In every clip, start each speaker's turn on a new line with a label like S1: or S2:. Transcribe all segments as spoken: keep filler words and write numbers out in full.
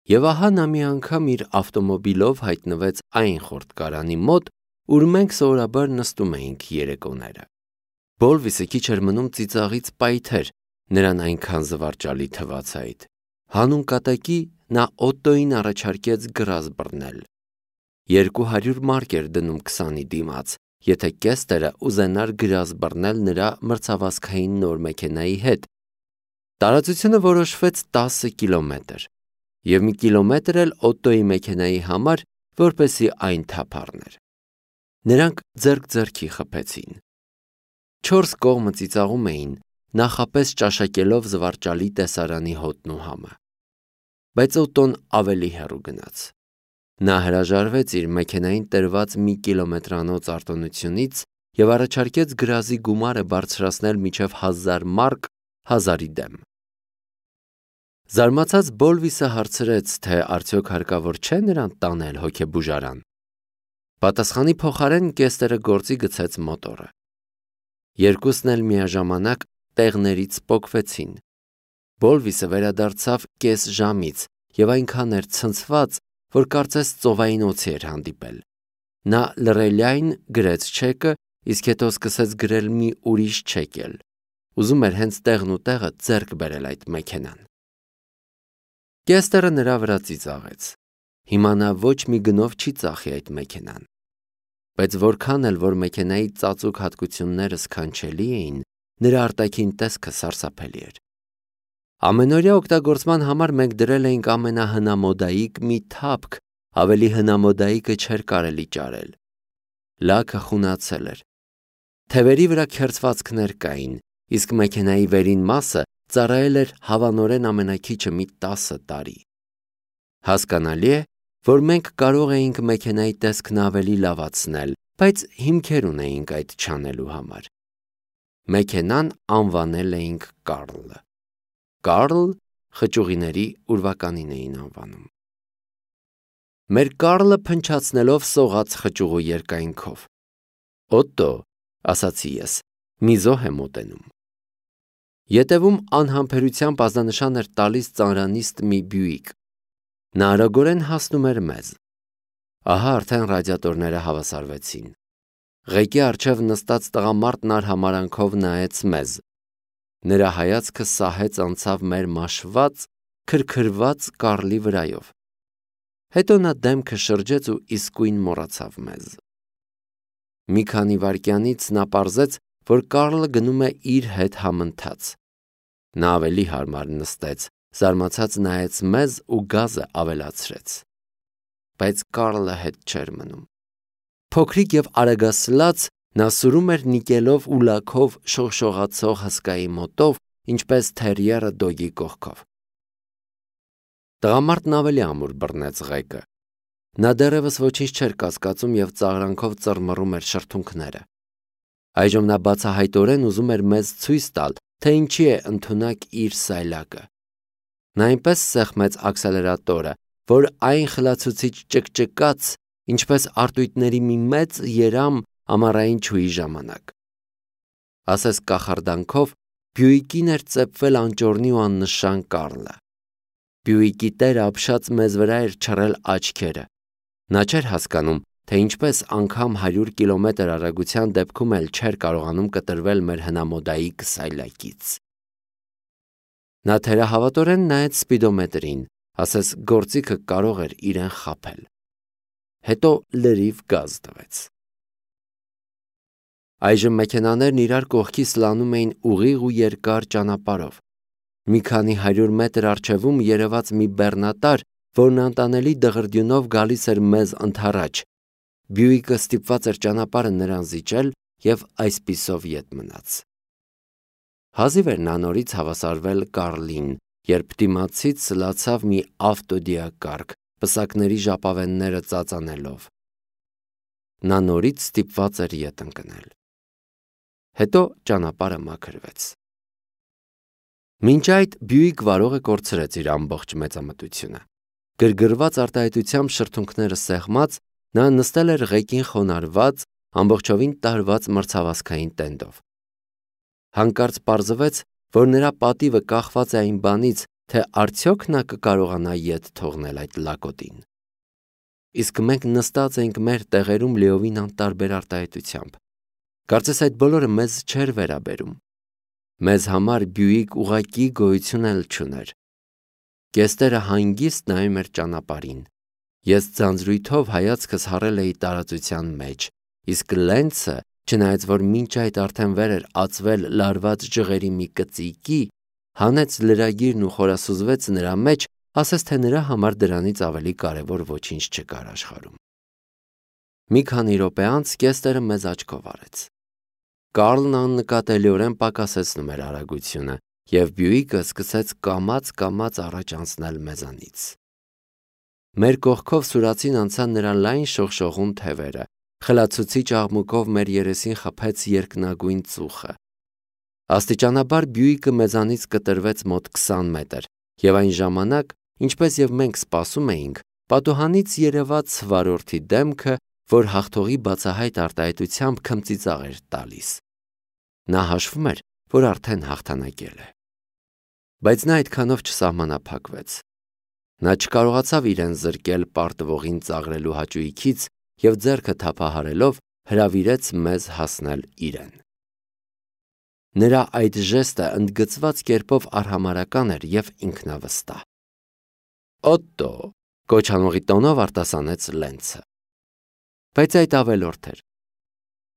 S1: Եվ ահա նա մի անգամ իր ավտոմոբիլով հայտնվեց այն խորտկարանի մոտ, ուր մենք սովորաբար նստում էինք երեկոները։ Բոլվիսը քիչ էր մնում ծիծաղից պայթեր, նրան այնքան զվարճալի թվաց այդ։ Հանուն կատակի նա Օտտոյին առաջարկեց գրազ բռնել։ Երկու հարյուր մարկ էր դնում քսանի դիմաց, եթե Կեստերը ուզենար գրազ բռնել նրա մրցավազքային նոր մեքենայի հետ։ Տարածությունը որոշվեց տասը կիլոմետր, և մի կիլոմետր էլ Օտտոյի մեքենայի համար, որպեսզի այն թափ առներ։ Նրանք ձեռք ձեռքի խփեցին։ Չորս կողմը ծիծաղում էին, նախապես ճաշակելով զվարճալի տեսարանի հոտն ու համը։ Բայց Օտտոն ավելի հեռու գնաց։ Նա հրաժարվեց իր մեքենային տրված մի կիլոմետրանոց արտոնությունից և առաջարկեց գրազի գումարը բարձրացնել մինչև հազար մարկ հազարի դեմ։ Զարմացած Բոլվիսը հարցրեց, թե արդյոք հարկավոր չէ նրան տանել հոգեբուժարան։ Պատասխանի փոխարեն Կեստերը գործի գցեց մոտորը։ Երկուսն էլ միաժամանակ տեղներից պոկվեցին։ Բոլվիսը վերադարձավ կես ժամից և այնքան էր ցնցված, որ կարծես ծովային օձի էր հանդիպել։ Նա լռելիայն գրեց չեկը, իսկ հետո սկսեց գրել մի ուրիշ չեք էլ։ Ուզում էր հենց տեղն ու տեղը ձեռք բերել այդ մեքենան։ Կեստերը նրա վրա ծիծաղեց։ Հիմա նա ոչ մի գնով չի ծախի այդ մեքենան։ Բայց որքան էլ որ մեքենայի ծածուկ հատկությունները սքանչելի էին, նրա արտաքին տեսքը սարսափելի էր։ Ամենօրյա օգտագործման համար մենք դրել էինք ամենահնամոդայիկ մի թափք, ավելի հնամոդայիկը չէր կարելի ճարել։ Լաքը խունացել էր։ Թևերի վրա քերծվածքներ կային, իսկ մեքենայի վերին մասը ծառայել էր հավանորեն ամենաքիչը մի տասը տարի։ Հասկանալի է, որ մենք կարող էինք մեքենայի տեսքն ավելի լավացնել, բայց հիմքեր ունեինք այդ չանելու համար։ Մեքենան անվանել էինք Կարլ։ Կարլ խճուղիների ուրվականին էին անվանում։ Մեր Կարլը փնչացնելով սողաց խճուղու երկայնքով։ Օտտո, ասացի ես, մի զոհ է մոտենում։ Ետևում անհամբերությամբ ազդանշան էր տալիս ծանրանիստ մի Բյուիկ։ Նա արագորեն հասնում էր մեզ։ Ահա արդեն ռադիատորները հավասարվեցին։ Ղեկի առջև նստած տղամարդն արհամարանքով նայեց մեզ։ Նրա հայացքը սահեց անցավ մեր մաշված, քրքրված Կարլի վրայով։ Հետո նա դեմքը շրջեց ու իսկույն մոռացավ մեզ։ Մի քանի վայրկյանից նա պարզեց, որ Կարլը գնում է իր հետ համընթաց։ Նա ավելի հարմար նստեց, զարմացած նայեց մեզ ու գազը ավելացրեց։ Բայց Կարլը հետ չէր մնում։ Փոքրիկ և արագասլաց նա սուրում էր նիկելով ու լաքով շողշողացող հսկայի մոտով, ինչպես թերիերը դոգի կողքով։ Տղամարդն ավելի ամուր բռնեց ղեկը։ Նա դեռևս ոչինչ չէր կասկածում և ծաղրանքով ծռմռում էր շրթունքները։ Այժմ նա բացահայտորեն ուզում էր մեզ ցույց տալ, թե ինչի է ընդունակ իր սայլակը։ Նա այնպես սեղմեց աքսելերատորը, որ այն խլացուցիչ ճկճկաց, ինչպես արտույտների մի մեծ երամ ամառային չուի ժամանակ։ Ասես կախարդանքով Բյուիկին էր ծեփվել անճոռնի ու աննշան Կարլը։ Բյուիկի տերը ապշած մեզ վրա էր չռել աչքերը։ Նա չէր հասկանում, թե ինչպես անգամ հարյուր կիլոմետր արագության դեպքում էլ չէր կարողանում կտրվել մեր հնամոդայիկ սայլակից։ Նա թերահավատորեն նայեց սպիդոմետրին, ասես գործիքը կարող էր իրեն խաբել։ Հետո լրիվ գազ տվեց։ Այժմ մեքենաներն իրար կողքի սլանում էին ուղիղ ու երկար ճանապարհով։ Մի քանի հարյուր մետր առջևում երևաց մի բեռնատար, որն անտանելի դղրդյունով գալիս էր մեզ ընդառաջ։ Բյուիկը ստիպված էր ճանապարհը նրան զիջել և այսպիսով ետ մնաց։ Հազիվ էր նա նորից հավասարվել Կարլին, երբ դիմացից լացավ մի ավտոդիակարգ, պսակների ժապավենները ծածանելով։ Նա նորից ստիպված էր ետ ընկնել։ Հետո ճանապարհը մաքրվեց։ Մինչ այդ Բյուիկ վարողը կորցրեց իր ամբողջ մեծամտությունը։ Գրգռված արտահայտությամբ շրթունքները սեղմած, նա նստել էր ղեկին խոնարհված, ամբողջովին տարված մրցավազքային տենդով։ Հանկարծ պարզվեց, որ նրա պատիվը կախված է այն բանից, թե արդյոք նա կկարողանա ետ թողնել այդ լակոտին։ Իսկ մենք նստած էինք մեր տեղերում լիովին անտարբեր արտահայտությամբ։ Կարծես այդ բոլորը մեզ չէր վերաբերում։ Մեզ համար Բյուիկ ուղղակի գոյություն էլ չուներ։ Կեստերը հանգիստ նայում էր ճանապարհին։ Ես ձանձրույթով հայացքս հառել էի տարածության մեջ, իսկ Լենցը, չնայած որ մինչ այդ արդեն վեր էր ածվել լարված ջղերի մի կծիկի, հանեց լրագիրն ու խորասուզվեց նրա մեջ, ասես թե նրա համար դրանից ավելի կարևոր ոչինչ չկար աշխարհում։ Մի քանի րոպե անց Կեստերը մեզ աչքով արեց։ Կարլն աննկատելիորեն պակասեցնում էր արագությունը, և Բյուիկը սկսեց կամաց-կամաց առաջ անցնել մեզանից։ Մեր կողքով սուրացին անցան նրա լայն շողշողուն թևերը, խլացուցիչ աղմուկով մեր երեսին խփեց երկնագույն ծուխը։ Աստիճանաբար Բյուիկը մեզանից կտրվեց մոտ քսան մետր, և այն ժամանակ, ինչպես և մենք սպասում էինք, պատուհանից երևաց վարորդի դեմքը, որ հաղթողի բացահայտ արտահայտությամբ քմծիծաղ էր տալիս։ Նա հաշվում էր, որ արդեն հաղթանակել է։ Բայց նա այդքանով չսահմանափակվեց։ Նա չկարողացավ իրեն զրկել պարտվողին ծաղրելու հաճույքից և ձեռքը թափահարելով հրավիրեց մեզ հասնել իրեն։ Նրա այդ ժեստը ընդգծված կերպով արհամարհական էր և ինքնավստահ։ «Օտտո», կոչանողի տոնով արտասանեց Լենցը։ Բայց այդ ավելորդ էր։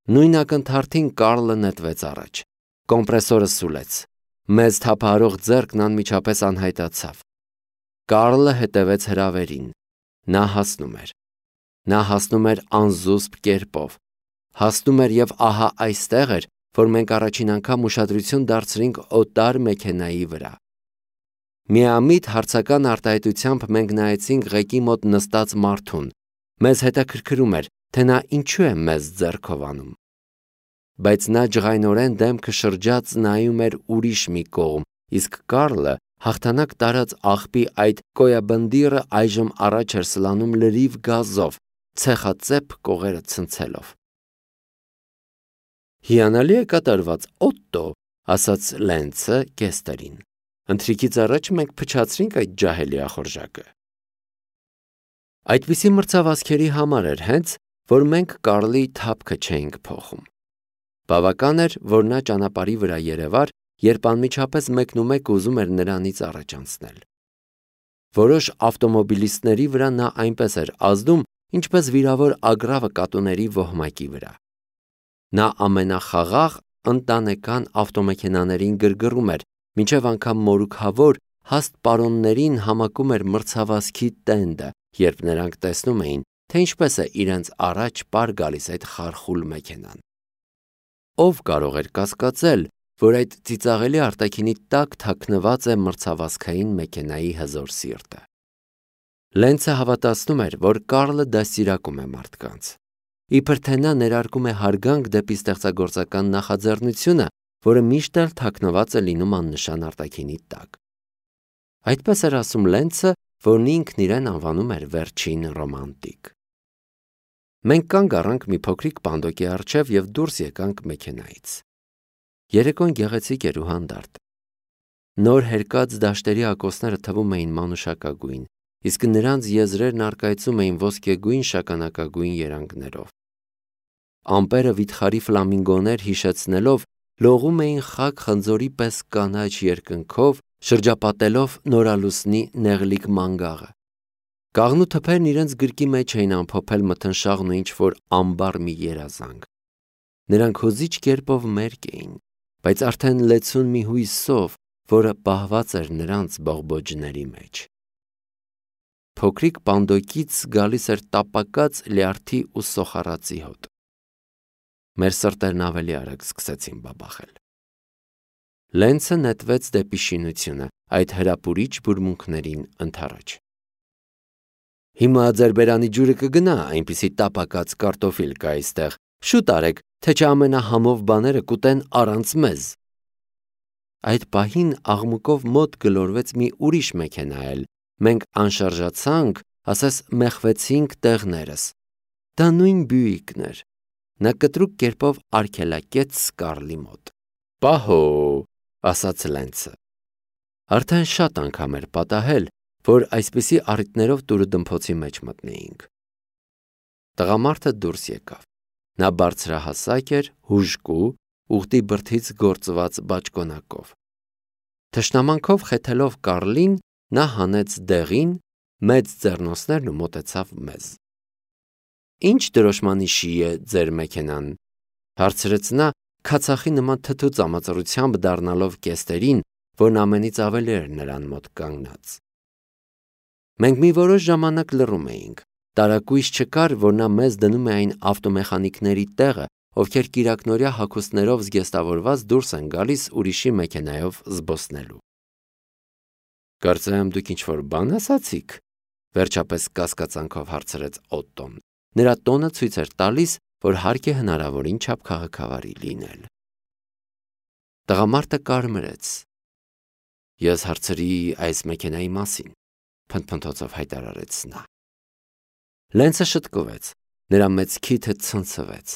S1: Նույն ակնթարթին Կարլը նետվեց առաջ։ Կոմպրեսորը սուլեց։ Մեզ թափահարող ձեռքն անմիջապես անհայտացավ։ Կարլը հետևեց հրավերին։ Նա հասնում էր։ Նա հասնում էր անզուսպ կերպով։ Հասնում էր և ահա այստեղ էր, որ մենք առաջին անգամ ուշադրություն դարձրինք օտար մեքենայի վրա։ Միամիտ հարցական արտահայտությամբ մենք նայեցինք ղեկի մոտ նստած մարդուն։ Մեզ հետաքրքրում էր, թե նա ինչու է մեզ ձեռքով անում։ Բայց նա ջղայնորեն դեմքը շրջած նայում էր ուրիշ մի կողմ, իսկ Կարլը հաղթանակ տարած աղբի այդ կոյաբնդիրը այժմ առաջ էր սլանում լրիվ գազով, ցեխածեպ կողերը ցնցելով։ «Հիանալի է կատարված, Օտտո», ասաց Լենցը Կեստերին։ «Ընթրիքից առաջ մենք փչացրինք այդ ջահելի ախորժակը»։ Այդպիսի մրցավազքերի համար էր հենց, որ մենք Կարլի թափքը չէինք փոխում։ Բավական էր, որ նա ճանապարհի վրա երևար, երբ անմիջապես մեկնումեկը ուզում էր նրանից առաջ անցնել։ Որոշ ավտոմոբիլիստների վրա նա այնպես էր ազդում, ինչպես վիրավոր ագռավը կատուների ոհմակի վրա։ Նա ամենախաղաղ ընտանեկան ավտոմեքենաներին գրգռում էր, մինչև անգամ մորուքավոր հաստ պարոններին համակում էր մրցավազքի տենդը, երբ նրանք տեսնում էին, թե ինչպես է իրենց առաջ պար գալիս այդ խարխուլ մեքենան։ Ով կարող էր կասկածել, որ այդ ծիծաղելի արտաքինի տակ թաքնված է մրցավազքային մեքենայի հզոր սիրտը։ Լենցը հավատացնում էր, որ Կարլը դաստիարակում է մարդկանց։ Իբր թե նա ներարկում է հարգանք դեպի ստեղծագործական նախաձեռնությունը, որը միշտ էլ թաքնված է լինում աննշան արտաքինի տակ։ Այդպես էր ասում Լենցը, որն ինքն իրեն անվանում էր վերջին ռոմանտիկ։ Մենք կանգ առանք մի փոքրիկ պանդոկի առջև և դուրս եկանք մեքենայից։ Երեկոն գեղեցիկ էր ու հանդարտ։ Նոր հերկած դաշտերի ակոսները թվում էին մանուշակագույն, իսկ նրանց եզրերն առկայծում էին ոսկեգույն շագանակագույն երանգներով։ Ամպերը վիթխարի ֆլամինգոներ հիշեցնելով լողում էին խաք խնձորի պես կանաչ երկնքով, շրջապատելով նորալուսնի նեղլիկ մանգաղը։ Կաղնու թփերն իրենց գրկի մեջ էին ամփոփել մթնշաղն ու ինչ-որ ամբար մի երազանք։ Նրանք հուզիչ կերպով մերկ էին, բայց արդեն լեցուն մի հույսով, որը պահված էր նրանց բողբոջների մեջ։ Փոքրիկ պանդոկից գալիս էր տապակած լյարդի ու սոխառածի հոտ։ Մեր սրտերն ավելի արագ սկսեցին բաբախել։ Լենցը նետվեց դեպի շինությունը, այդ հրապուրիչ բուրմունքներին ընդառաջ։ Հիմա ձեր բերանի ջուրը կգնա, այնպիսի տապակած կարտոֆիլ կա այստեղ, շուտ արեք, թե չէ ամենահամով բաները կուտեն առանց մեզ։ Այդ պահին աղմուկով մոտ գլորվեց մի ուրիշ մեքենա էլ, մենք անշարժացանք, ասես մեխվեցինք տեղներս։ Դա նույն Բյուիկն էր։ Նա կտրուկ կերպով արգելակեց Կարլի մոտ։ Պահո, ասաց Լենցը։ Արդեն շատ անգամ էր պատահել, որ այսպիսի առիթներով տուրը դմփոցի մեջ մտնեինք։ Տղամարդը դուրս եկավ։ Նա բարձրահասակ էր, հուժկու, ուղտի բրդից գործված բաճկոնակով։ Թշնամանքով խեթելով Կարլին, նա հանեց դեղին, մեծ ձեռնոցներն ու մոտեցավ մեզ։ «Ինչ դրոշմանիշի է ձեր մեքենան», հարցրեց նա, քացախի նման թթու ծամածռությամբ դառնալով կեստերին, որն ամենից ավելի էր նրան մոտ կանգնած։ Մենք մի որոշ ժամանակ լռում էինք։ Տարակույս չկար, որ նա մեզ դնում է այն ավտոմեխանիկների տեղը, ովքեր կիրակնօրյա հագուստներով զգեստավորված դուրս են գալիս ուրիշի մեքենայով զբոսնելու։ «Կարծեմ դուք ինչ-որ բան ասացիք», վերջապես կասկածանքով հարցրեց Օտտոն։ Նրա տոնը ցույց էր տալիս, որ հարկ է հնարավորին չափ քաղաքավարի լինել։ Տղամարդը կարմրեց։ «Ես հարցրի այս մեքենայի մասին», փնթփնթոցով հայտարարեց նա։ Լենցը շտկվեց, նրա մեծ քիթը ցնցվեց։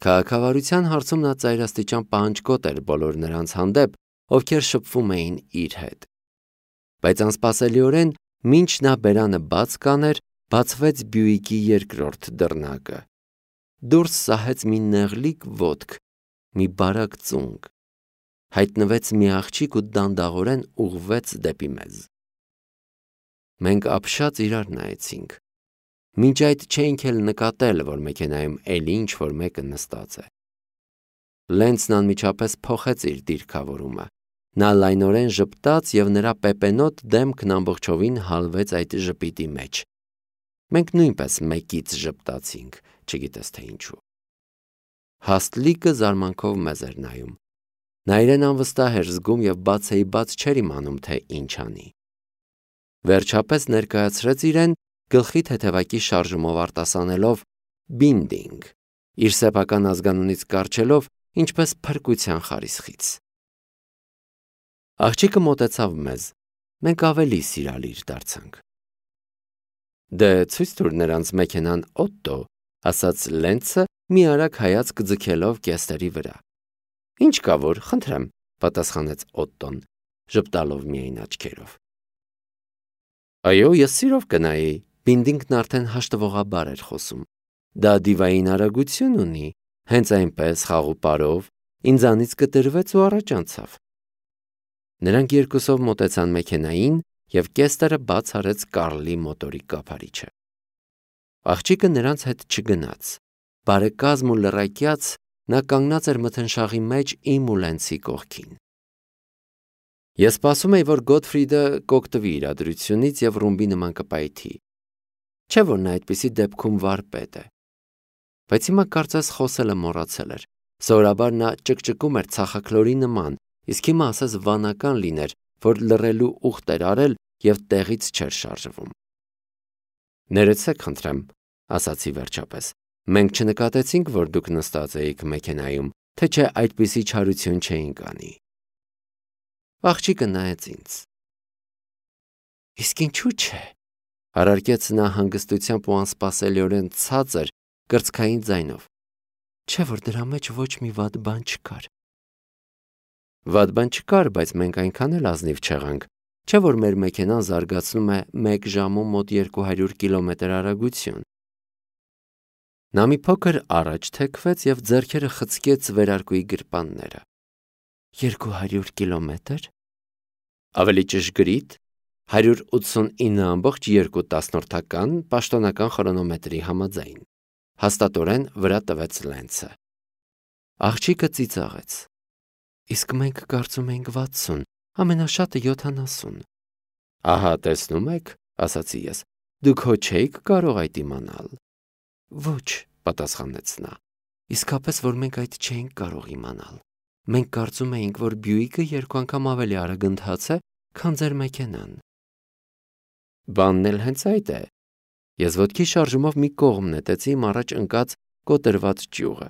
S1: Քաղաքավարության հարցում նա ծայրաստիճան պահանջկոտ էր բոլոր նրանց հանդեպ, ովքեր շփվում էին իր հետ։ Բայց անսպասելիորեն, մինչ նա բերանը բաց կաներ, բացվեց Բյուիկի երկրորդ դռնակը։ Դուրս սահեց մի նեղլիկ ոտք, մի բարակ ծունկ։ Հայտնվեց մի աղջիկ ու դանդաղորեն ուղղվեց դեպի մեզ։ Մենք ապշած իրար նայեցինք։ Մինչ այդ չէինք էլ նկատել, որ մեքենայում էլի ինչ-որ մեկը նստած է։ Լենցն անմիջապես փոխեց իր դիրքավորումը։ Նա լայնորեն ժպտաց և նրա պեպենոտ դեմքն ամբողջովին հալվեց այդ ժպիտի մեջ։ Մենք նույնպես մեկից ժպտացինք, չգիտես թե ինչու։ Հաստլիկը զարմանքով մեզ էր նայում։ Նա իրեն անվստահ էր զգում և բացեի բաց չէր իմանում, թե ինչ անի։ Վերջապես ներկայացրեց իրեն, գլխի թեթևակի շարժումով արտասանելով «Բինդինգ», իր սեփական ազգանունից կառչելով, ինչպես փրկության խարիսխից։ Աղջիկը մոտեցավ մեզ, մենք ավելի սիրալիր դարձանք։ «Դե ցույց տուր նրանց մեքենան, Օտտո», ասաց Լենցը, մի արագ հայացք ձգելով կեստերի վրա։ «Ինչ կա որ, խնդրեմ», պատասխանեց Օտտոն, ժպտալով միայն աչքերով։ «Այո, ես սիրով կնայի», Բինդինգն արդեն հաշտվողաբար էր խոսում։ «Դա դիվային արագություն ունի, հենց այնպես խաղ ու պարով, ինձանից կտրվեց ու առաջ անցավ»։ Նրանք երկուսով մոտեցան մեքենային, և կեստերը բաց արեց Կարլի մոտորի կափարիչը։ Աղջիկը նրանց հետ չգնաց։ Բարեկազմ ու լռակյաց նա կանգնած էր մթնշաղի մեջ իմ ու Լենցի կողքին։ Ես սպասում էի, որ Գոթֆրիդը կօգտվի իրադրությունից և ռումբի նման կպայթի։ Չէ՞ որ նա այդպիսի դեպքում վարպետ է։ Բայց հիմա կարծես խոսելը մոռացել էր։ Սովորաբար նա ճկճկում էր ցախաքլորի նման, իսկ հիմա ասես վանական լիներ, որ լռելու ուխտ էր արել և տեղից չէր շարժվում։ «Ներեցեք, խնդրեմ», ասացի վերջապես։ «Մենք չնկատեցինք, որ դուք նստած էիք մեքենայում, թե չէ այդպիսի չարություն չէինք անի»։ Աղջիկը նայեց ինձ։ «Իսկ ինչու՞ չէ», հարարկեց նա հանգստությամբ ու անսպասելիորեն ցածր, կրծքային ձայնով։ «Չէ՞ որ դրա մեջ ոչ մի վատ բան չկար»։ «Վատ բան չկար, բայց մենք այնքան էլ ազնիվ չեղանք, չէ՞ որ մեր մեքենան զարգացնում է մեկ ժամում մոտ երկու հարյուր կիլոմետր արագություն»։ Նա մի փոքր առաջ թեքվեց և ձեռքերը խցկեց վերարկուի գրպանները։ «Երկու հարյուր կիլոմետր»։ Ավելի ճշգրիտ, հարյուր ութսունինը ամբողջ երկու տասնորդական պաշտոնական խրոնոմետրի համաձայն, հաստատորեն վրա տվեց Լենցը։ Աղջիկը ծիծաղեց։ «Իսկ մենք կարծում էինք վաթսուն, ամենաշատը յոթանասուն»։ «Ահա տեսնում եք», ասացի ես, «դուք հո չէիք կարող այդ իմանալ»։ «Ոչ», պատասխանեց նա, «իսկապես որ մենք այդ չէինք կարող իմանալ։ Մենք կարծում էինք, որ Բյուիկը երկու անգամ ավելի արագ ընթաց է, քան ձեր մեքենան»։ Բանն էլ հենց այդ է։ Ես ոտքի շարժումով մի կողմ նետեցի իմ առաջ ընկած կոտրված ճյուղը։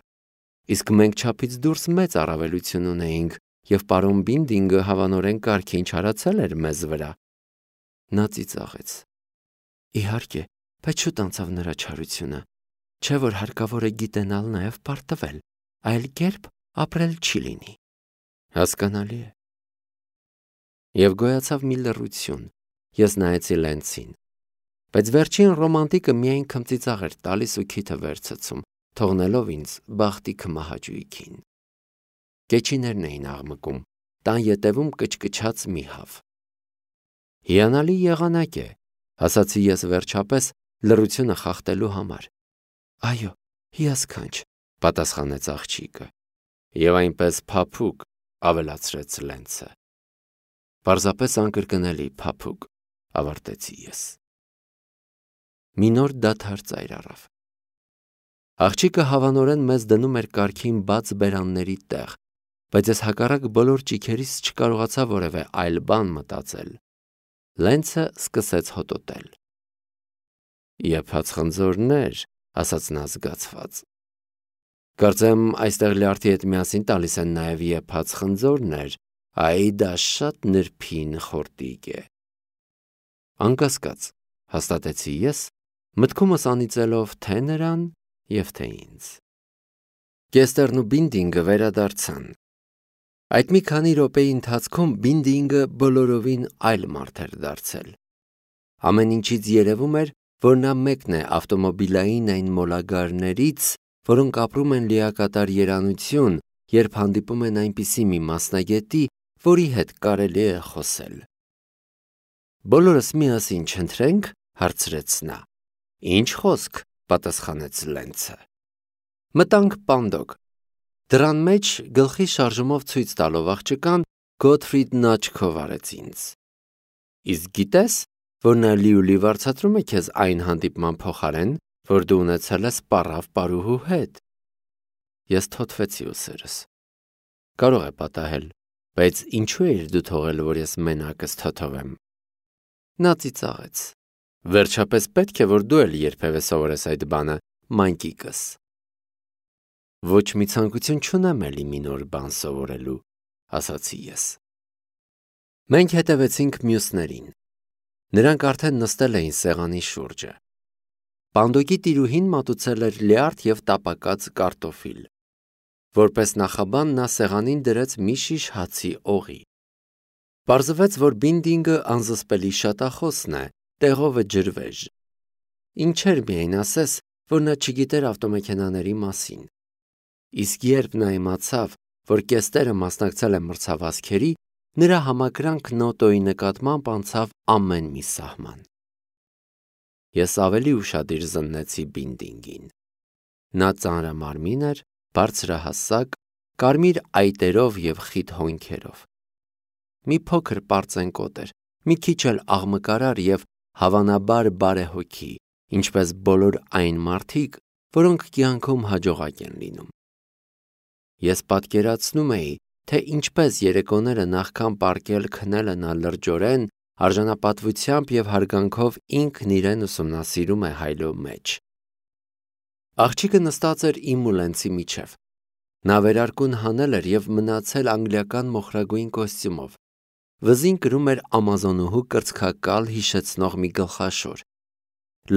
S1: Իսկ մենք չափից դուրս մեծ առավելություն ունեինք, և պարոն Բինդինգը հավանորեն կարգին չարացել էր մեզ վրա։ Նա ծիծաղեց։ Իհարկե, բայց շուտ անցավ նրա չարությունը։ Չէ՞ որ հարկավոր է գիտենալ նաև պարտվել, այլ կերպ ապրել չի լինի։ Հասկանալի է։ Եվ գոյացավ մի լռություն, ես նայեցի Լենցին, բայց վերջին ռոմանտիկը միայն քմծիծաղ էր տալիս ու քիթը վերցցում, թողնելով ինձ բախտի քմահաճույքին։ Կեչիներն էին աղմկում, տան ետևում կչկչաց մի հավ։ Հիանալի եղանակ է, ասացի ես վերջապես լռությունը խախտելու համար։ Այո, հիասքանչ, պատասխանեց աղջիկը, եւ այնպես փափուկ, ավելացրեց Լենցը։ Պարզապես անկրկնելի փափուկ, ավարտեցի ես։ Մի նոր դադար ծայր առավ։ Աղջիկը հավանորեն մեզ դնում էր կարգին բաց բերանների տեղ, բայց ես հակառակ բոլոր ճիքերիս չկարողացա որևէ այլ բան մտածել։ Լենցը սկսեց հոտոտել։ Եփած խնձորներ, ասաց նա զգացված։ Կարծեմ այստեղ լյարդի հետ միասին տալիս են նաև եփած խնձորներ, այ դա շատ նրբին խորտիկ է։ Անկասկած, հաստատեցի ես, մտքումս անիծելով թե նրան և թե ինձ։ Կեստերն ու Բինդինգը վերադարձան։ Այդ մի քանի րոպեի ընթացքում Բինդինգը բոլորովին այլ մարդ էր դարձել։ Ամեն ինչից երևում էր, որ նա մեկն է ավտոմոբիլային այն մոլագարներից, որոնք ապրում են լիակատար երանություն, երբ հանդիպում են այնպիսի մի մասնագետի, որի հետ կարելի է խոսել։ Բոլորս միասին չընթրենք, հարցրեց նա։ Ինչ խոսք, պատասխանեց Լենցը։ Մտանք պանդոկ։ Դռան մեջ գլխի շարժումով ցույց տալով աղջկան Գոթֆրիդն աչքով արեց ինձ։ Իսկ գիտես, որ նա լիուլի վարձատրում է քեզ այն հանդիպման փոխարեն, որ դու ունեցել ես պառավ պարուհու հետ։ Ես թոթվեցի ուսերս։ Կարող է պատահել, բայց ինչու էիր դու թողել, որ ես մենակս թոթվեմ։ Նա ծիծաղեց։ Վերջապես պետք է, որ դու էլ երբևէ սովորես այդ բանը, մանկիկս։ Ոչ մի ցանկություն չունեմ էլի մի նոր բան սովորելու, ասացի ես։ Մենք հետևեցինք մյուսներին։ Նրանք արդեն նստել էին սեղանի շուրջը։ Պանդոկի տիրուհին մատուցել էր լյարդ և տապակած կարտոֆիլ։ Որպես նախաբան նա սեղանին դրեց մի շիշ հացի օղի։ Պարզվեց, որ Բինդինգը անզսպելի շատախոսն է, տեղովը ջրվեժ։ Ինչեր միայն ասես, որ նա չգիտեր ավտոմեքենաների մասին։ Իսկ երբ նա իմացավ, որ Կեստերը մասնակցել է մրցավազքերի, նրա համակրանքն օտոյի նկատմամբ անցավ ամեն մի սահման։ Ես ավելի ուշադիր զննեցի Բինդինգին։ Նա ծանրամարմին էր, բարձրահասակ, կարմիր այտերով և խիտ հոնքերով։ Մի փոքր պարծենկոտ էր, մի քիչ էլ աղմկարար և հավանաբար բարեհոգի, ինչպես բոլոր այն մարդիկ, որոնք կյանքում հաջողակ են լինում։ Ես պատկերացնում էի, թե ինչպես երեկոները նախքան պառկել քնելը նա լրջորեն, արժանապատվությամբ և հարգանքով ինքն իրեն ուսումնասիրում է հայլո մեջ։ Աղջիկը նստած էր իմ ու Լենցի միջև։ Նա վերարկուն հանել էր և մնացել անգլիական մոխրագույն կոստյումով։ Վզին կրում էր ամազոնուհու կրծքակալ հիշեցնող մի գլխաշոր։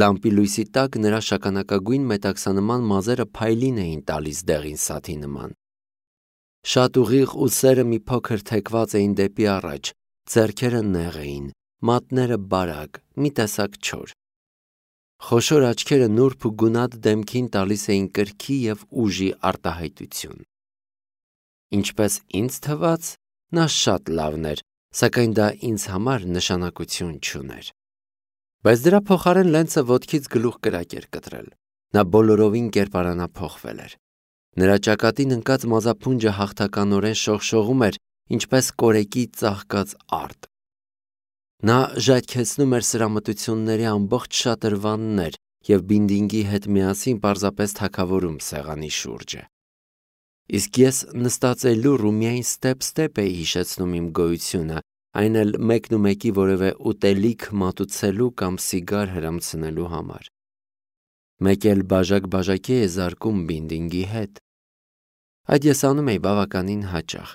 S1: Լամպի լույսի տակ նրա շագանակագույն մետաքսանման մազերը փայլին էին տալիս դեղին սաթի նման։ Շատ ուղիղ ուսերը մի փոքր թեքված էին դեպի առաջ, ձեռքերը նեղ էին, մատները բարակ, մի տեսակ չոր։ Խոշոր աչքերը նուրբ ու գունատ դեմքին տալիս էին կրքի և ուժի արտահայտություն։ Ինչպես ինձ թվաց, նա շատ լավն էր, սակայն դա ինձ համար նշանակություն չուներ։ Բայց դրա փոխարեն Լենցը ոտքից գլուխ կրակ էր կտրել։ Նա բոլորովին կերպարանափոխվել էր։ Նրա ճակատին ընկած մազափունջը հաղթականորեն շողշողում էր, ինչպես կորեկի ծաղկած արդ։ Նա ժայթքեցնում էր սրամտությունների ամբողջ շատրվաններ և Բինդինգի հետ միասին պարզապես թագավորում սեղանի շուրջը։ Իսկ ես նստածելուռ ու միայն ստեպ-ստեպ էի հիշեցնում իմ գոյությունը, այն էլ մեկնումեկի որևէ ուտելիք մատուցելու կամ սիգար հրամցնելու համար։ Մեկ էլ բաժակ-բաժակի է զարկում Բինդինգի հետ։ Այդ ես անում էի բավականին հաճախ,